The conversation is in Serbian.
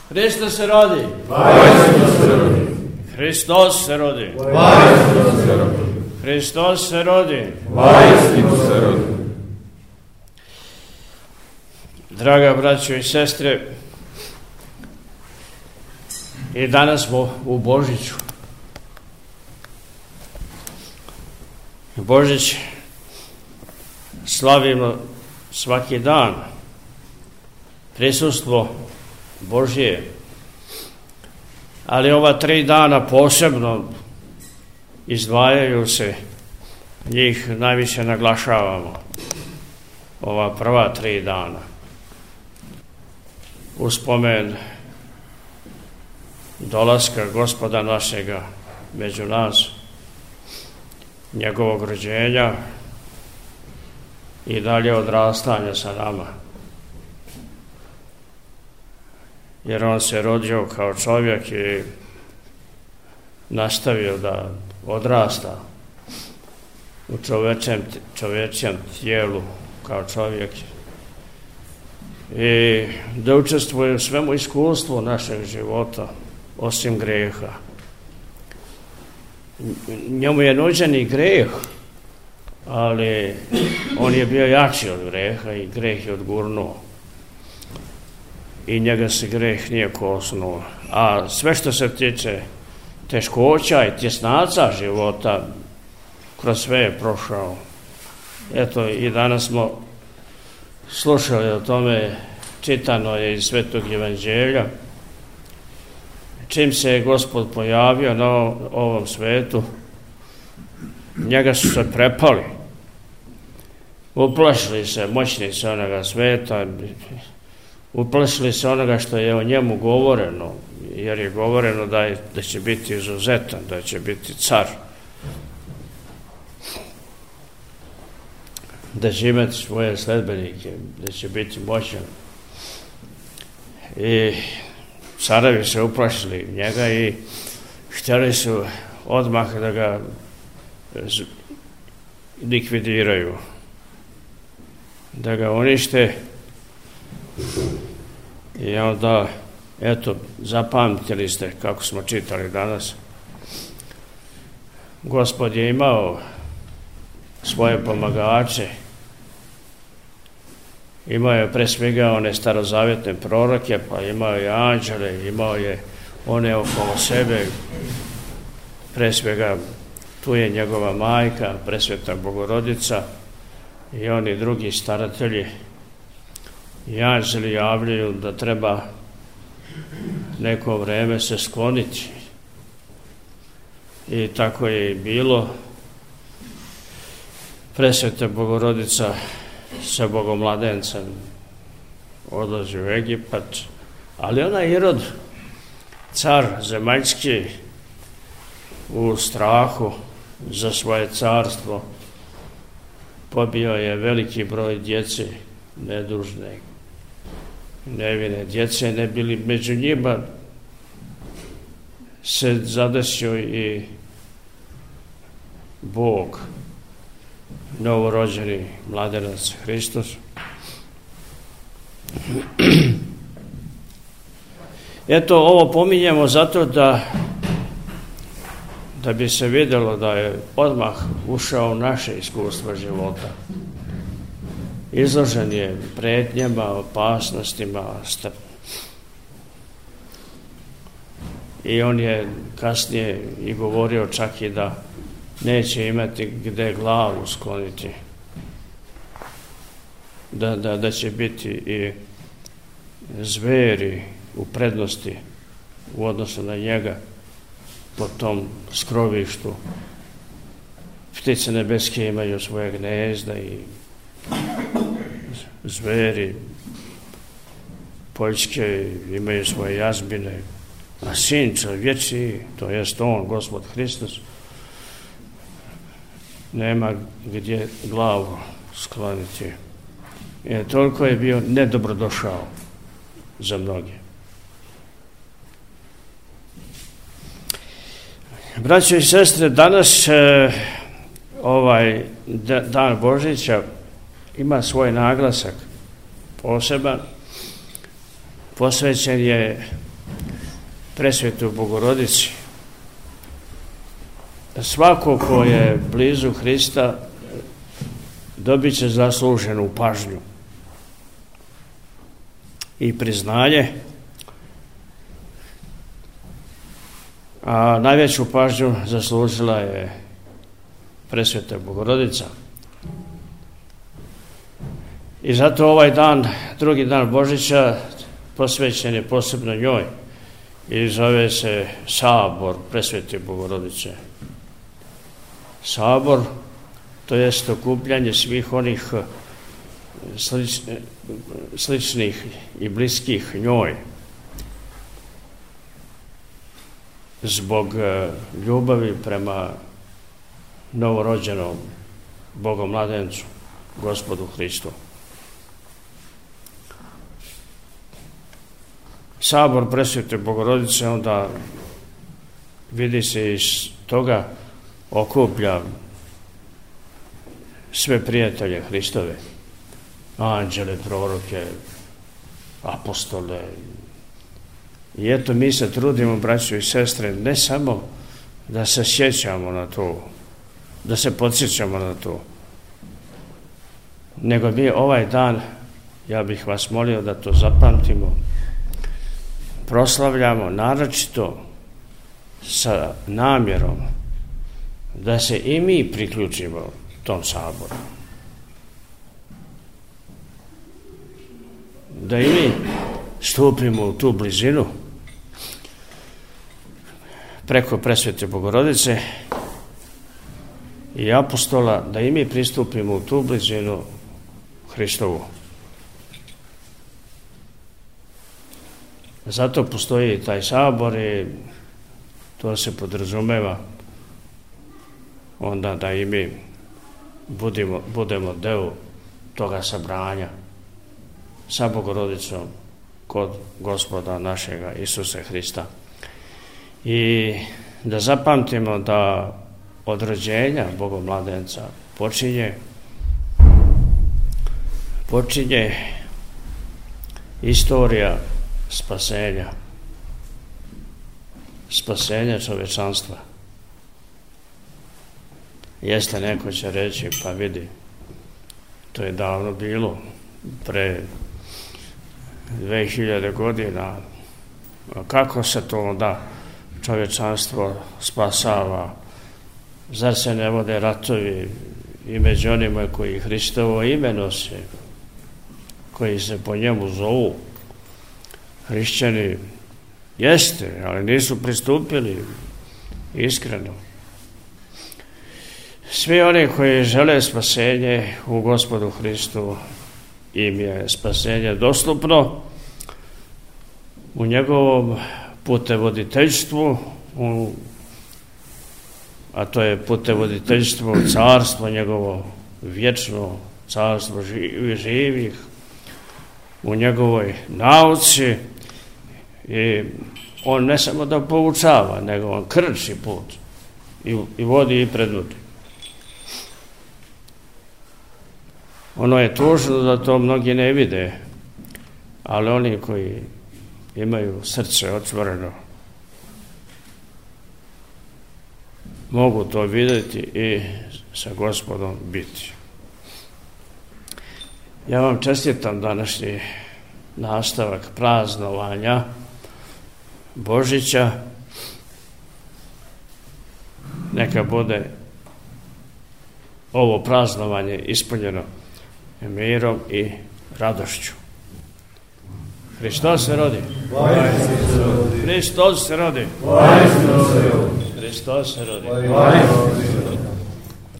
Hristos se rodi. Hristos se rodi. Hristos se rodi. Draga braćo i sestre, i danas smo u Božiću. Božić slavimo svaki dan. Prisustvo Božje. Ali ova 3 dana posebno izdvajaju se, njih najviše naglašavamo. Ova prva 3 dana. U spomen dolaska Gospoda našega među nas, njegovog rođenja i dalje odrastanja sa nama. Jer on se rodio kao čovjek i nastavio da odrasta u čovječjem tijelu kao čovjek i da učestvuje u svemu iskustvu našeg života osim greha. Njemu je nuđen i greh, ali on je bio jači od greha i greh je odgurnuo. I njega se greh nije kosnuo. A sve što se tiče teškoća i tjesnaca života, kroz sve je prošao. Eto, i danas smo slušali o tome, čitano je iz Svetog Evanđelja. Čim se je Gospod pojavio na ovom svetu, njega su se prepali. Uplašili se moćnici onoga sveta, uplašili se onoga što je o njemu govoreno, jer je govoreno da će biti izuzetan, da će biti car, da će imati svoje sledbenike, da će biti moćan. I carevi se uplašili njega i htjeli su odmah da ga likvidiraju, da ga unište. I onda, eto, zapamtili ste kako smo čitali danas. Gospod je imao svoje pomagače, imao je pre svega one starozavjetne proroke, pa imao je anđele, imao je one okolo sebe, pre svega tu je njegova majka, presveta Bogorodica i oni drugi staratelji. I anđeli javljaju da treba neko vreme se skloniti. I tako je i bilo. Presveta Bogorodica sa Bogomladencem odlazi u Egipat, ali onaj Irod, car zemaljski, u strahu za svoje carstvo, pobio je veliki broj djece, nedužne, nevine djece, ne bili među njima se zadesio i Bog, novorođeni mladenac Hristos. Eto, ovo pominjemo zato da bi se vidjelo da je odmah ušao u naše iskustva života. Izložen je prijetnjama, opasnostima i on je kasnije i govorio čak i da neće imati gde glavu skloniti, da će biti i zveri u prednosti u odnosu na njega po tom skrovištu. Ptice nebeske imaju svoje gnezda i zveri poljske imaju svoje jazbine, a sin čovječiji, to jest on, Gospod Hristos, nema gdje glavu skloniti. Toliko je bio nedobrodošao za mnoge. Braćo i sestre, danas ovaj dan Božića ima svoj naglasak poseban, posvećen je Presvetoj Bogorodici. Svako ko je blizu Hrista dobit će zasluženu pažnju i priznanje, a najveću pažnju zaslužila je Presveta Bogorodica. I zato ovaj dan, drugi dan Božića, posvećen je posebno njoj i zove se Sabor Presvete Bogorodice. Sabor, to jest okupljanje svih onih sličnih i bliskih njoj zbog ljubavi prema novorođenom Bogomladencu, Gospodu Hristu. Sabor Presvete Bogorodice onda vidi se iz toga okuplja sve prijatelje Hristove, anđele, proroke, apostole. I eto, mi se trudimo, braćo i sestre, ne samo da se sjećamo na to, da se podsjećamo na to, nego mi ovaj dan, ja bih vas molio da to zapamtimo, proslavljamo naročito sa namjerom da se i mi priključimo tom saboru. Da i mi stupimo u tu blizinu preko Presvete Bogorodice i apostola, da i mi pristupimo u tu blizinu Hristovu. Zato postoji taj sabor i to se podrazumeva onda da i mi budemo deo toga sabranja sa Bogorodicom kod Gospoda našega Isusa Hrista. I da zapamtimo da od rođenja Bogomladenca počinje istorija spasenja čovječanstva. Jeste, neko će reći, pa vidi, to je davno bilo, pre 2000 godina, kako se to onda čovječanstvo spasava? Zar se ne vode ratovi i među onima koji Hristovo ime nose, koji se po njemu zovu hrišćani? Jeste, ali nisu pristupili iskreno. Svi oni koji žele spasenje u Gospodu Hristu, im je spasenje dostupno u njegovom putevoditeljstvu, a to je putevoditeljstvo carstvo njegovo vječno, carstvo živih, u njegovoj nauci. I on ne samo da poučava, nego on krči put i vodi i predvodi. Ono je tužno da to mnogi ne vide, ali oni koji imaju srce otvoreno mogu to vidjeti i sa Gospodom biti. Ja vam čestitam današnji nastavak praznovanja Božića. Neka bude ovo praznovanje ispunjeno mirom i radošću. Hristos se rodi. Hristos se rodi. Hristos se rodi.